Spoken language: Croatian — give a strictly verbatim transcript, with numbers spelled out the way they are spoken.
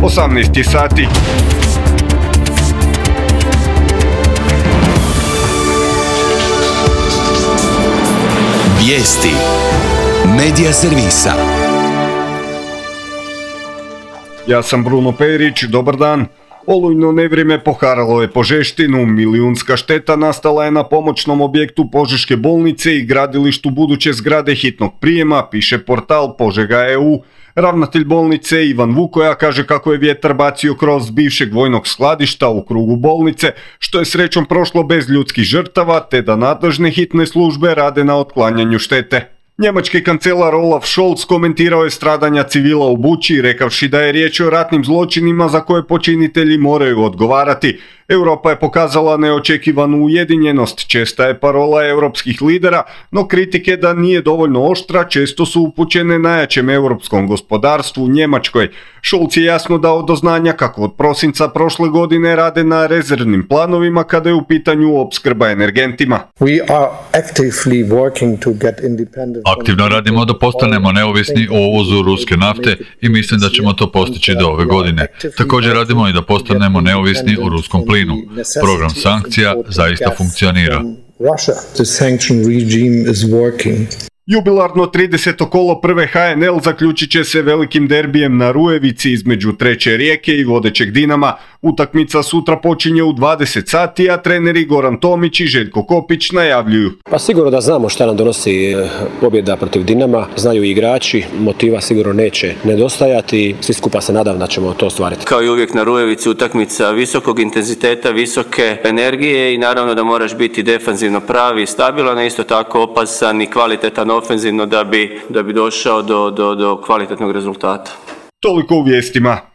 osamnaest je sati. Vijesti Medija servisa. Ja sam Bruno Perić, dobar dan. Olujno nevrijeme poharalo je Požeštinu, milijunska šteta nastala je na pomoćnom objektu Požeške bolnice i gradilištu buduće zgrade hitnog prijema, piše portal Požega E U. Ravnatelj bolnice Ivan Vukoja kaže kako je vjetar bacio kroz bivšeg vojnog skladišta u krugu bolnice, što je srećom prošlo bez ljudskih žrtava, te da nadležne hitne službe rade na otklanjanju štete. Njemački kancelar Olaf Scholz komentirao je stradanja civila u Buči, rekavši da je riječ o ratnim zločinima za koje počinitelji moraju odgovarati. Europa je pokazala neočekivanu ujedinjenost, česta je parola europskih lidera, no kritike da nije dovoljno oštra često su upućene najjačem europskom gospodarstvu, Njemačkoj. Scholz je jasno dao do znanja kako od prosinca prošle godine rade na rezervnim planovima kada je u pitanju opskrba energentima. Aktivno radimo da postanemo neovisni o uvozu ruske nafte i mislim da ćemo to postići do ove godine. Također radimo i da postanemo neovisni o ruskom plinu. Program sankcija zaista funkcionira. Jubilarno trideseto kolo prve H N L zaključit će se velikim derbijem na Rujevici između Treće Rijeke i vodećeg Dinama. Utakmica sutra počinje u dvadeset sati, a treneri Goran Tomić i Željko Kopić najavljuju. Pa sigurno da znamo šta nam donosi pobjeda protiv Dinama, znaju i igrači, motiva sigurno neće nedostajati, svi skupa se nadam da ćemo to ostvariti. Kao i uvijek na Rujevici utakmica visokog intenziteta, visoke energije i naravno da moraš biti defanzivno pravi i stabilan, isto tako opasan i kvalitetan ofenzivno da bi, da bi došao do, do, do kvalitetnog rezultata. Toliko u vijestima.